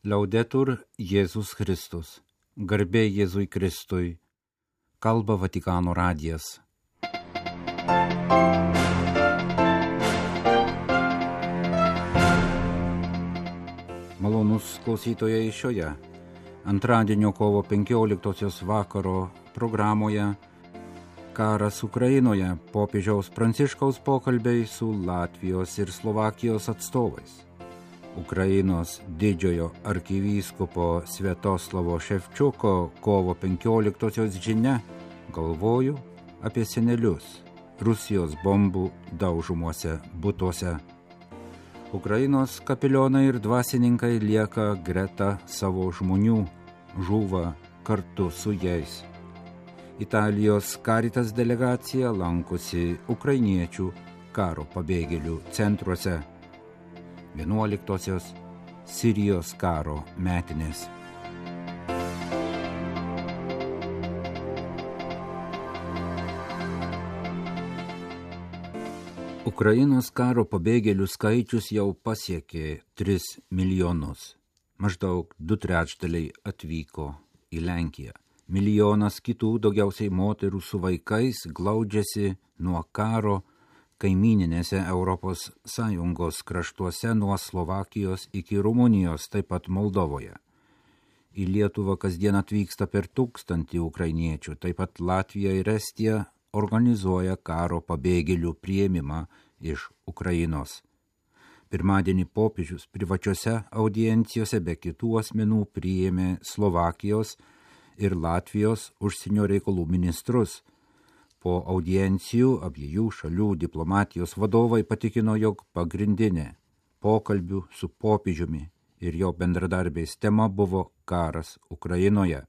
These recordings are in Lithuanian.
Laudetur Jėzus Kristus. Garbė Jėzui Kristui. Kalba Vatikano radijas. Malonus klausytojai šioje antradienio kovo 15 vakaro programoje Karas Ukrainoje, popiežiaus Pranciškaus pokalbiai su Latvijos ir Slovakijos atstovais. Ukrainos didžiojo arkivyskupo Sviatoslavo Ševčiuko kovo 15 žinia, galvoju apie senelius Rusijos bombų daužomuose butuose. Ukrainos kapelionai ir dvasininkai lieka greta savo žmonių, žūva kartu su jais. Italijos Caritas delegacija lankosi ukrainiečių karo pabėgėlių centruose. 11 Sirijos karo metinės. Ukrainos karo pabėgėlių skaičius jau pasiekė 3 milijonus. Maždaug 2/3 atvyko į Lenkiją. Milijonas kitų, daugiausiai moterų su vaikais, glaudžiasi nuo karo kaimyninėse Europos Sąjungos kraštuose nuo Slovakijos iki Rumunijos, taip pat Moldovoje. Į Lietuvą kasdien atvyksta per 1000 ukrainiečių, taip pat Latvija ir Estija organizuoja karo pabėgėlių priėmimą iš Ukrainos. Pirmadienį popiežius privačiose audiencijose be kitų asmenų priėmė Slovakijos ir Latvijos užsienio reikalų ministrus. Po audiencijų abiejų šalių diplomatijos vadovai patikino, jog pagrindinė pokalbių su popiežiumi ir jo bendradarbiais tema buvo karas Ukrainoje.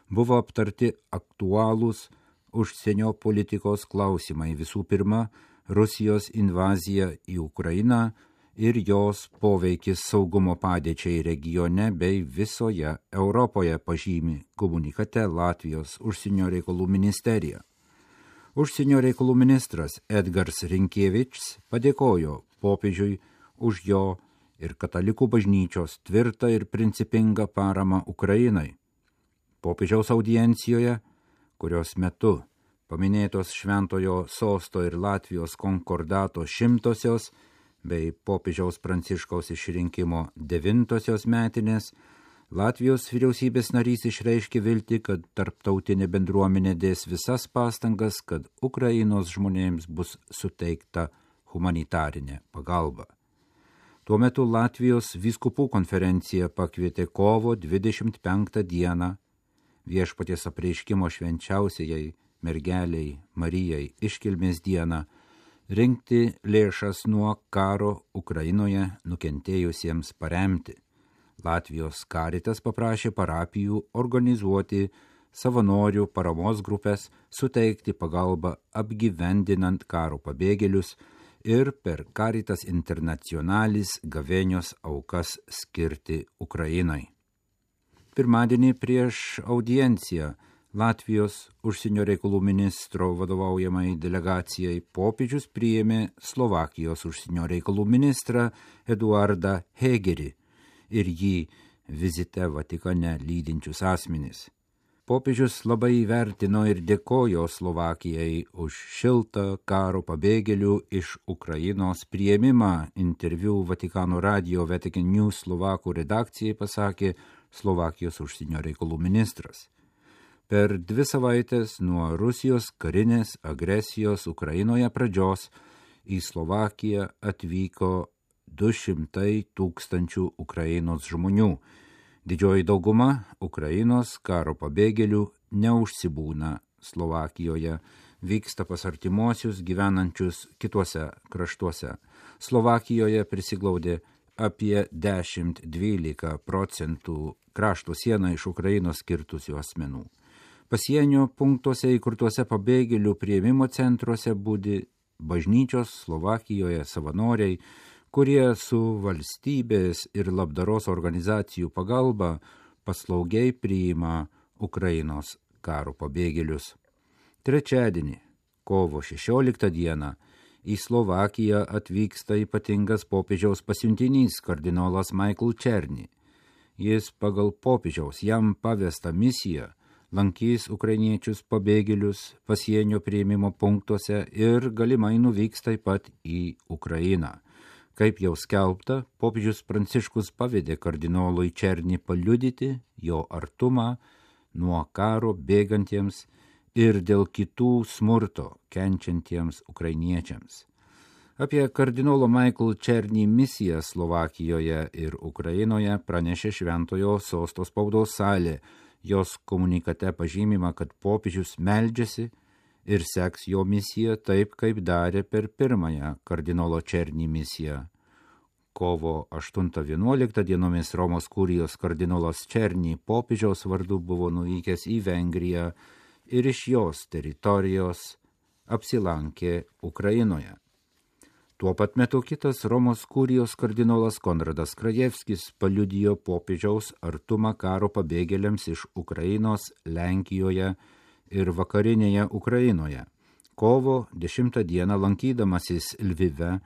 Buvo aptarti aktualūs užsienio politikos klausimai, visų pirma, Rusijos invazija į Ukrainą ir jos poveikis saugumo padėčiai regione bei visoje Europoje, pažymi komunikate Latvijos užsienio reikalų ministerija. Užsienio reikalų ministras Edgars Rinkievičs padėkojo popiežiui už jo ir katalikų bažnyčios tvirtą ir principingą paramą Ukrainai. Popiežiaus audiencijoje, kurios metu paminėtos Šventojo Sosto ir Latvijos konkordato 100-osios bei popiežiaus Pranciškaus išrinkimo 9-osios metinės, Latvijos vyriausybės narys išreiškė viltį, kad tarptautinė bendruomenė dės visas pastangas, kad Ukrainos žmonėms bus suteikta humanitarinė pagalba. Tuo metu Latvijos vyskupų konferencija pakvietė kovo 25 dieną Viešpaties apreiškimo švenčiausiajai mergeliai Marijai iškilmės dieną rinkti lėšas nuo karo Ukrainoje nukentėjusiems paremti. Latvijos Caritas paprašė parapijų organizuoti savanorių paramos grupės, suteikti pagalbą apgyvendinant karo pabėgėlius ir per Caritas Internationalis gavėnios aukas skirti Ukrainai. Pirmadienį prieš audienciją Latvijos užsienio reikalų ministro vadovaujamai delegacijai popiežius priėmė Slovakijos užsienio reikalų ministrą Eduardą Hegerį ir jį vizite Vatikane lydinčius asmenys. Popiežius labai įvertino ir dėkojo Slovakijai už šiltą karo pabėgėlių iš Ukrainos priėmimą. Interviu Vatikano radio Vatican News Slovakų redakcijai pasakė Slovakijos užsienio reikalų ministras. Per 2 savaitės nuo Rusijos karinės agresijos Ukrainoje pradžios į Slovakiją atvyko 200 000 Ukrainos žmonių. Didžioji dauguma Ukrainos karo pabėgėlių neužsibūna Slovakijoje, vyksta pas artimuosius gyvenančius kituose kraštuose. Slovakijoje prisiglaudė apie 10–12% krašto sieną iš Ukrainos kirtusių asmenų. Pasienio punktuose įkurtuose pabėgėlių priėmimo centruose budi bažnyčios Slovakijoje savanoriai, kurie su valstybės ir labdaros organizacijų pagalba paslaugiai priima Ukrainos karo pabėgėlius. Trečiadienį, kovo 16 dieną, į Slovakiją atvyksta ypatingas popiežiaus pasiuntinys kardinolas Michael Černy. Jis pagal popiežiaus jam pavestą misiją lankys ukrainiečius pabėgėlius pasienio priėmimo punktuose ir galimai nuvyks taip pat į Ukrainą. Kaip jau skelbta, popiežius Pranciškus pavedė kardinolui Černį paliudyti jo artumą nuo karo bėgantiems ir dėl kitų smurto kenčiantiems ukrainiečiams. Apie kardinolo Michael Černį misiją Slovakijoje ir Ukrainoje pranešė Šventojo Sosto spaudos salė. Jos komunikate pažymima, kad popiežius meldžiasi ir seks jo misiją taip, kaip darė per pirmąją kardinolo Černį misiją. Kovo 8-11 dienomis Romos kurijos kardinolas Černį popiežiaus vardu buvo nuvykęs į Vengriją ir iš jos teritorijos apsilankė Ukrainoje. Tuo pat metu kitas Romos kurijos kardinolas Konradas Krajevskis paliudijo popiežiaus artumą karo pabėgėliams iš Ukrainos, Lenkijoje ir vakarinėje Ukrainoje. Kovo 10 dieną lankydamasis Lvive,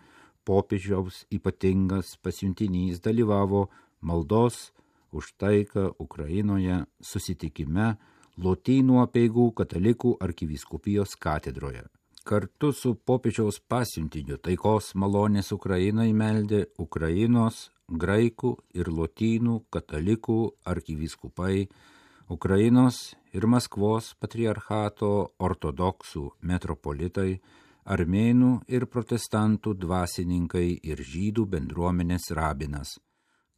popiežiaus ypatingas pasiuntinys dalyvavo maldos už taiką Ukrainoje susitikime Lotynų apeigų katalikų arkivyskupijos katedroje. Kartu su popiežiaus pasiuntiniu taikos malonės Ukrainai meldė Ukrainos, graikų ir lotynų katalikų arkivyskupai, Ukrainos ir Maskvos patriarchato ortodoksų metropolitai, armėnų ir protestantų dvasininkai ir žydų bendruomenės rabinas.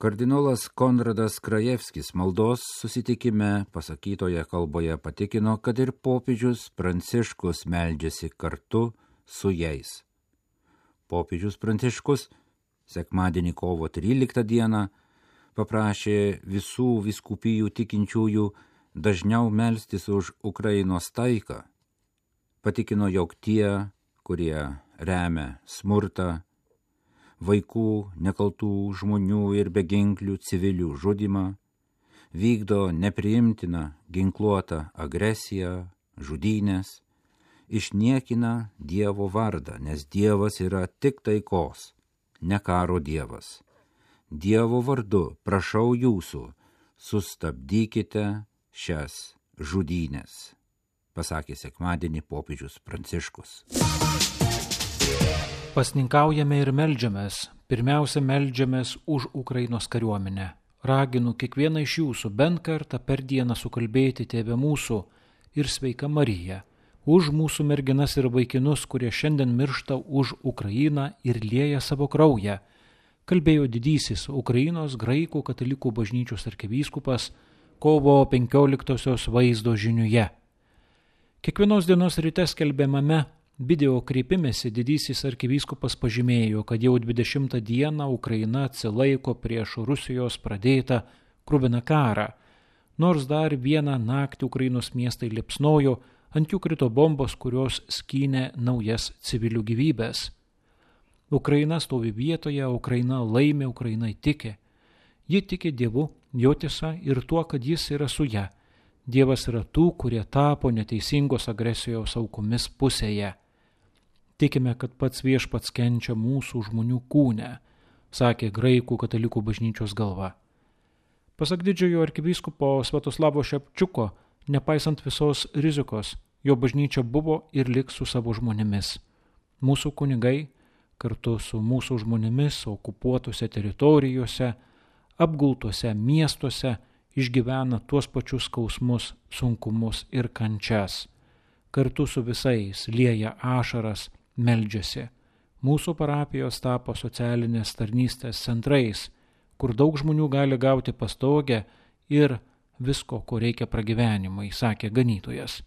Kardinolas Konradas Krajevskis maldos susitikime pasakytoje kalboje patikino, kad ir popiežius Pranciškus meldžiasi kartu su jais. Popiežius Pranciškus sekmadienį kovo 13 dieną paprašė visų vyskupijų tikinčiųjų dažniau melstis už Ukrainos taiką. Patikino, jog tie, kurie remia smurtą, vaikų, nekaltų žmonių ir beginklių civilių žudymą, vykdo nepriimtiną ginkluotą agresiją, žudynės, išniekina Dievo vardą, nes Dievas yra tik taikos, ne karo Dievas. Dievo vardu prašau jūsų, sustabdykite šias žudynės, pasakė sekmadienį popiežius Pranciškus. Pasninkaujame ir meldžiamės. Pirmiausia, meldžiamės už Ukrainos kariuomenę. Raginu kiekvieną iš jūsų bent kartą per dieną sukalbėti Tėve mūsų ir Sveika Marija, už mūsų merginas ir vaikinus, kurie šiandien miršta už Ukrainą ir lieja savo kraują, kalbėjo didysis Ukrainos graikų katalikų bažnyčios arkivyskupas kovo 15-osios vaizdo žiniuje. Kiekvienos dienos ryte skelbiamame video kreipimėsi didysis arkivyskupas pažymėjo, kad jau 20 dieną Ukraina atsilaiko prieš Rusijos pradėtą kruviną karą. Nors dar vieną naktį Ukrainos miestai liepsnojo, ant jų krito bombos, kurios skynė naujas civilių gyvybės. Ukraina stovi vietoje, Ukraina laimi, Ukraina tiki. Ji tiki Dievu, jo tiesa ir tuo, kad jis yra su ja. Dievas yra tų, kurie tapo neteisingos agresijos aukomis pusėje. Tikime, kad pats Viešpats kenčia mūsų žmonių kūne, sakė graikų katalikų bažnyčios galva. Pasak didžiojo arkivyskupo Svetoslavo Šepčiuko, nepaisant visos rizikos, jo bažnyčia buvo ir liks su savo žmonėmis. Mūsų kunigai, kartu su mūsų žmonėmis okupuotose teritorijose, apgultuose miestuose, išgyvena tuos pačius skausmus, sunkumus ir kančias. Kartu su visais lieja ašaras, meldžiasi. Mūsų parapijos tapo socialinės tarnystės centrais, kur daug žmonių gali gauti pastogę ir visko, ko reikia pragyvenimui, sakė ganytojas.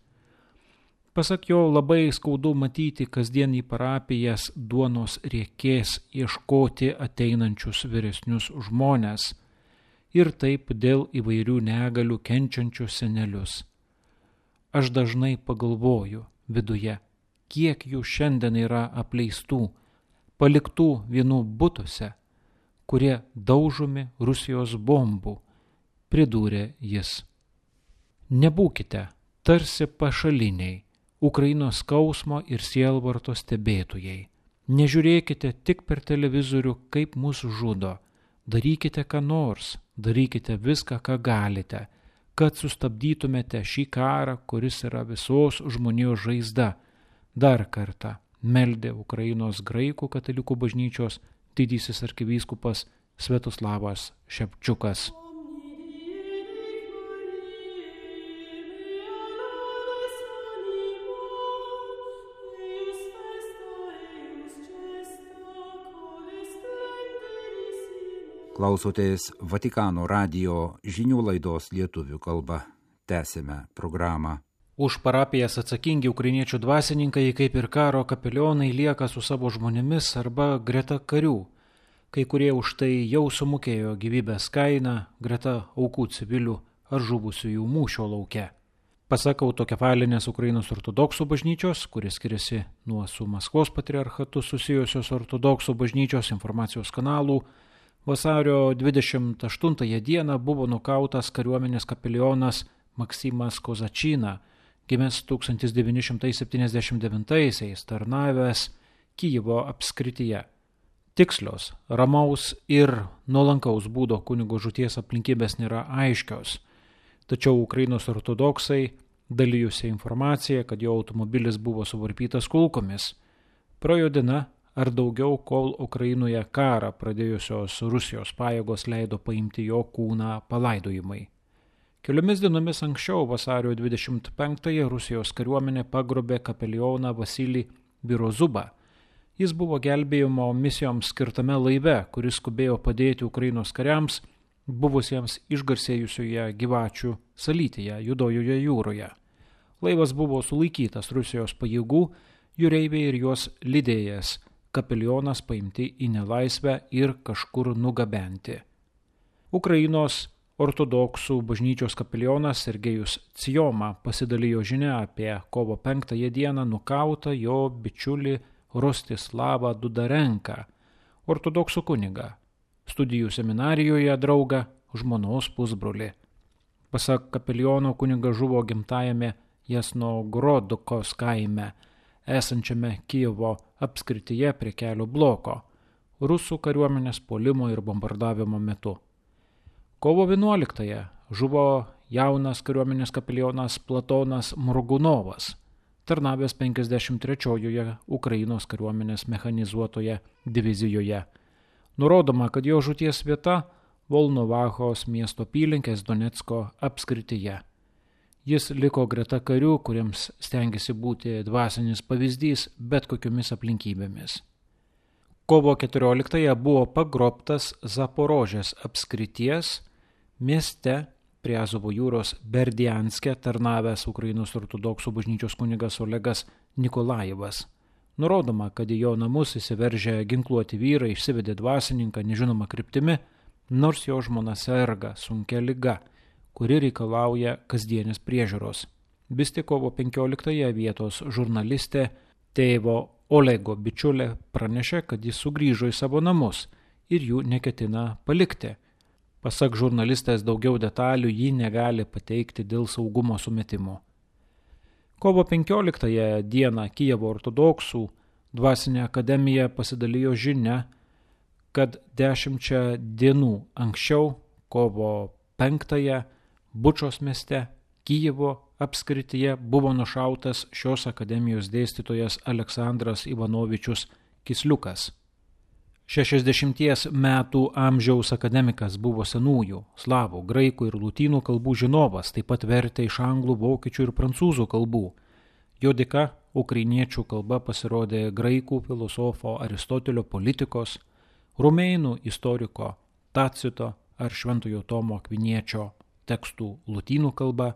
Pasak jo, labai skaudu matyti kasdien į parapijas duonos riekės ieškoti ateinančius vyresnius žmones ir taip dėl įvairių negalių kenčiančius senelius. Aš dažnai pagalvoju viduje, kiek jų šiandien yra apleistų, paliktų vienų butuose, kurie daužomi Rusijos bombų, pridūrė jis. Nebūkite tarsi pašaliniai, Ukrainos skausmo ir sielvarto stebėtojai. Nežiūrėkite tik per televizorių, kaip mus žudo, darykite ką nors, darykite viską, ką galite, kad sustabdytumėte šį karą, kuris yra visos žmonijos žaizda. Dar kartą meldė Ukrainos graikų katalikų bažnyčios didysis arkivyskupas Sviatoslavas Ševčiukas. Klausotės Vatikano radijo žinių laidos lietuvių kalba. Tęsime programą. Už parapijas atsakingi ukrainiečių dvasininkai, kaip ir karo kapelionai, lieka su savo žmonėmis arba greta karių. Kai kurie už tai jau sumokėjo gyvybės kainą greta aukų civilių ar žuvusiųjų mūšio lauke. Pasak autokefalinės Ukrainos ortodoksų bažnyčios, kuris skiriasi nuo su Maskvos patriarchatu susijusios ortodoksų bažnyčios informacijos kanalų, vasario 28 dieną buvo nukautas kariuomenės kapelionas Maksimas Kozačina, gimęs 1979-aisiais, tarnavęs Kijevo apskrityje. Tikslios, ramaus ir nuolankaus būdo kunigo žūties aplinkybės nėra aiškios, tačiau Ukrainos ortodoksai dalijusi informaciją, kad jo automobilis buvo suvarpytas kulkomis. Praėjo diena ar daugiau, kol Ukrainoje karą pradėjusios Rusijos pajėgos leido paimti jo kūną palaidojimai. Keliomis dienomis anksčiau, vasario 25-ąją, Rusijos kariuomenė pagrobė kapelioną Vasilį Birozubą. Jis buvo gelbėjimo misijoms skirtame laive, kuris skubėjo padėti Ukrainos kariams, buvusiems išgarsėjusioje Gyvačių salytėje, Juodojoje jūroje. Laivas buvo sulaikytas Rusijos pajėgų, jūreiviai ir juos lydėjęs, kapelionas paimti į nelaisvę ir kažkur nugabenti. Ukrainos ortodoksų bažnyčios kapelionas Sergejus Cijoma pasidalijo žinia apie kovo 5 dieną nukautą jo bičiulį Rostislavą Dudarenką, ortodoksų kunigą, studijų seminarijoje draugą, žmonos pusbrolį. Pasak kapeliono, kunigas žuvo gimtajame Jasnogorodkos kaime, esančiame Kijevo apskrityje prie kelio bloko, rusų kariuomenės puolimo ir bombardavimo metu. Kovo 11 žuvo jaunas kariuomenės kapelionas Platonas Morgunovas, tarnavęs 53-ojoje Ukrainos kariuomenės mechanizuotoje divizijoje. Nurodoma, kad jo žūties vieta Volnovachos miesto apylinkės Donecko apskrityje. Jis liko greta karių, kuriems stengiasi būti dvasinis pavyzdys bet kokiomis aplinkybėmis. Kovo 14 buvo pagrobtas Zaporožės apskrities mieste prie Azovo jūros Berdianske tarnavęs Ukrainos ortodoksų bažnyčios kunigas Olegas Nikolajevas. Nurodoma, kad į jo namus įsiveržę ginkluoti vyrai išsivedė dvasininką nežinoma kryptimi, nors jo žmona serga sunkia liga, kuri reikalauja kasdienės priežiūros. Vis tik kovo 15 vietos žurnalistė tėvo Olego bičiulė pranešė, kad jis sugrįžo į savo namus ir jų neketina palikti. Pasak žurnalistės, daugiau detalių ji negali pateikti dėl saugumo sumetimo. Kovo 15 dieną Kijevo ortodoksų dvasinė akademija pasidalijo žinia, kad 10 dienų anksčiau, kovo 5 Bučos mieste, Kijevo apskrityje buvo nušautas šios akademijos dėstytojas Aleksandras Ivanovičius Kisliukas. 60 metų amžiaus akademikas buvo senųjų, slavų, graikų ir lotynų kalbų žinovas, taip pat vertė iš anglų, vokiečių ir prancūzų kalbų. Jo dėka ukrainiečių kalba pasirodė graikų filosofo Aristotelio politikos, rumėnų istoriko Tacito ar Šventojo Tomo Akviniečio tekstų lotynų kalba,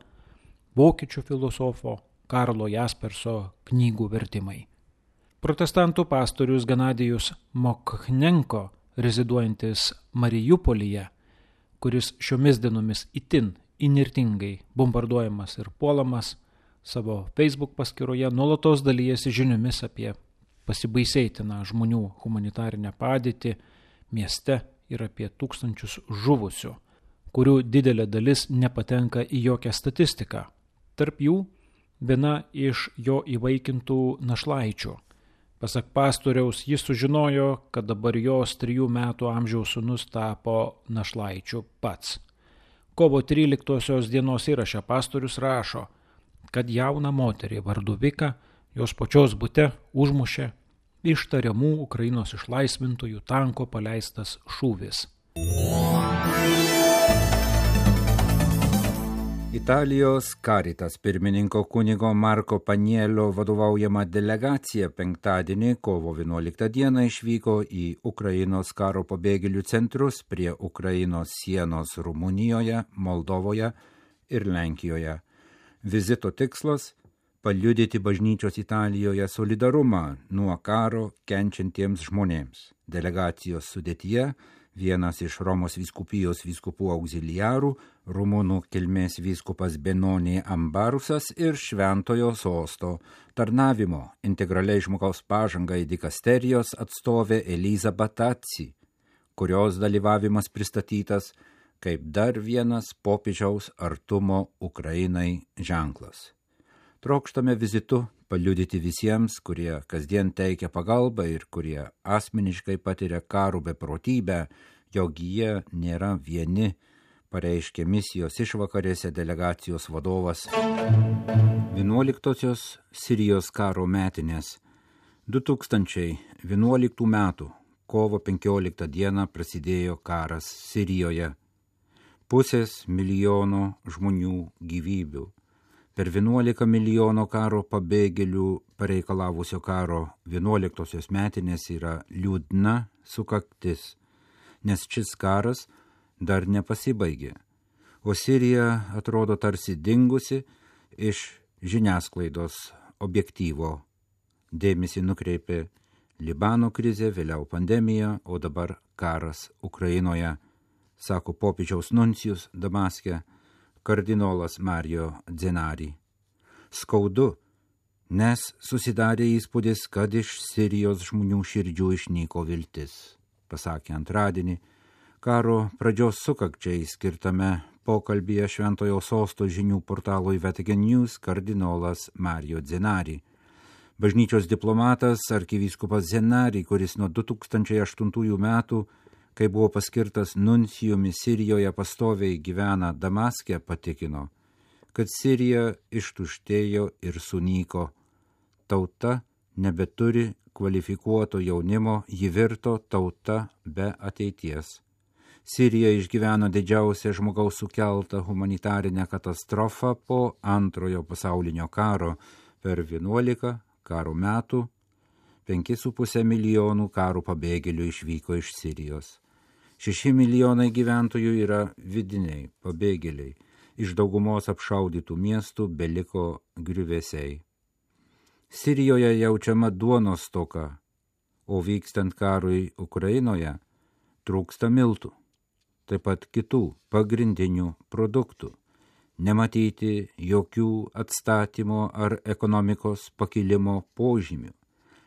vokiečių filosofo Karlo Jasperso knygų vertimai. Protestantų pastorius Ganadijus Mokhnenko, reziduojantis Marijupolyje, kuris šiomis dienomis itin įnirtingai bombarduojamas ir puolamas, savo Facebook paskyroje nuolatos dalijasi žiniomis apie pasibaisėtiną žmonių humanitarinę padėtį mieste ir apie tūkstančius žuvusių, kurių didelė dalis nepatenka į jokią statistiką. Tarp jų viena iš jo įvaikintų našlaičių, Pasak pastoriaus, jis sužinojo, kad dabar jos 3 metų amžiaus sūnus tapo našlaičiu pats. Kovo 13 dienos įraše pastorius rašo, kad jauną moterį vardu Vika jos pačios bute užmušė iš tariamų Ukrainos išlaisvintojų tanko paleistas šūvis. Italijos Caritas pirmininko kunigo Marko Panielio vadovaujama delegacija penktadienį, kovo 11 dieną išvyko į Ukrainos karo pabėgėlių centrus prie Ukrainos sienos Rumunijoje, Moldovoje ir Lenkijoje. Vizito tikslas – paliudyti bažnyčios Italijoje solidarumą nuo karo kenčiantiems žmonėms. Delegacijos sudėtyje vienas iš Romos vyskupijos vyskupų auxiliarų, rumunų kilmės vyskupas Benoni Ambarusas ir Šventojo sosto tarnavimo integraliai žmogaus pažangai dikasterijos atstovė Eliza Batazzi, kurios dalyvavimas pristatytas kaip dar vienas popiežiaus artumo Ukrainai ženklas. Trokštame vizitu paliudyti visiems, kurie kasdien teikia pagalbą ir kurie asmeniškai patiria karų beprotybę, jog jie nėra vieni, pareiškė misijos išvakarėse delegacijos vadovas. 11-osios Sirijos karo metinės 2011 metų kovo 15 dieną prasidėjo karas Sirijoje. 500 milijono žmonių gyvybių. Per 11 milijono karo pabėgėlių pareikalavusio karo 11-osios metinės yra liūdna sukaktis, nes šis karas dar nepasibaigė, o Sirija atrodo tarsi dingusi iš žiniasklaidos objektyvo. Dėmesį nukreipė Libano krizė, vėliau pandemija, o dabar karas Ukrainoje, sako popiežiaus nuncijus Damaske, kardinolas Mario Zenari. Skaudu, nes susidarė įspūdis, kad iš Sirijos žmonių širdžių išnyko viltis, pasakė antradienį karo pradžios sukakčiai skirtame pokalbyje Šventojo sosto žinių portalui Vatican News kardinolas Mario Zenari. Bažnyčios diplomatas arkivyskupas Zenari, kuris nuo 2008 metų, kai buvo paskirtas nuncijumi Sirijoje, pastoviai gyvena Damaske, patikino, kad Sirija ištuštėjo ir sunyko. Tauta nebeturi kvalifikuoto jaunimo, ji virto tauta be ateities. Sirija išgyveno didžiausią žmogaus sukeltą humanitarinę katastrofą po Antrojo pasaulinio karo. Per 11 karo metų 5,5 milijonų karo pabėgėlių išvyko iš Sirijos. 6 milijonai gyventojų yra vidiniai pabėgėliai. Iš daugumos apšaudytų miestų beliko griuvėsiai. Sirijoje jaučiama duonos stoka, o vykstant karui Ukrainoje trūksta miltų, taip pat kitų pagrindinių produktų. Nematyti jokių atstatymo ar ekonomikos pakilimo požymių.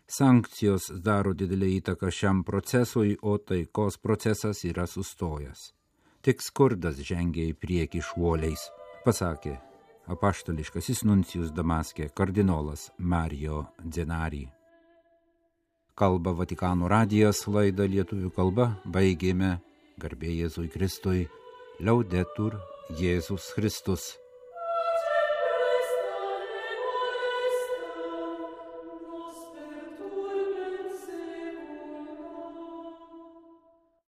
Sankcijos daro didelę įtaką šiam procesui, o taikos procesas yra sustojęs. Tik skurdas žengia į priekį šuoliais, pasakė apaštališkasis nuncijus Damaske kardinolas Mario Zenari. Kalba Vatikano radijas, laidą lietuvių kalba baigėme. Garbė Jėzui Kristui, Laudetur Jėzus Kristus.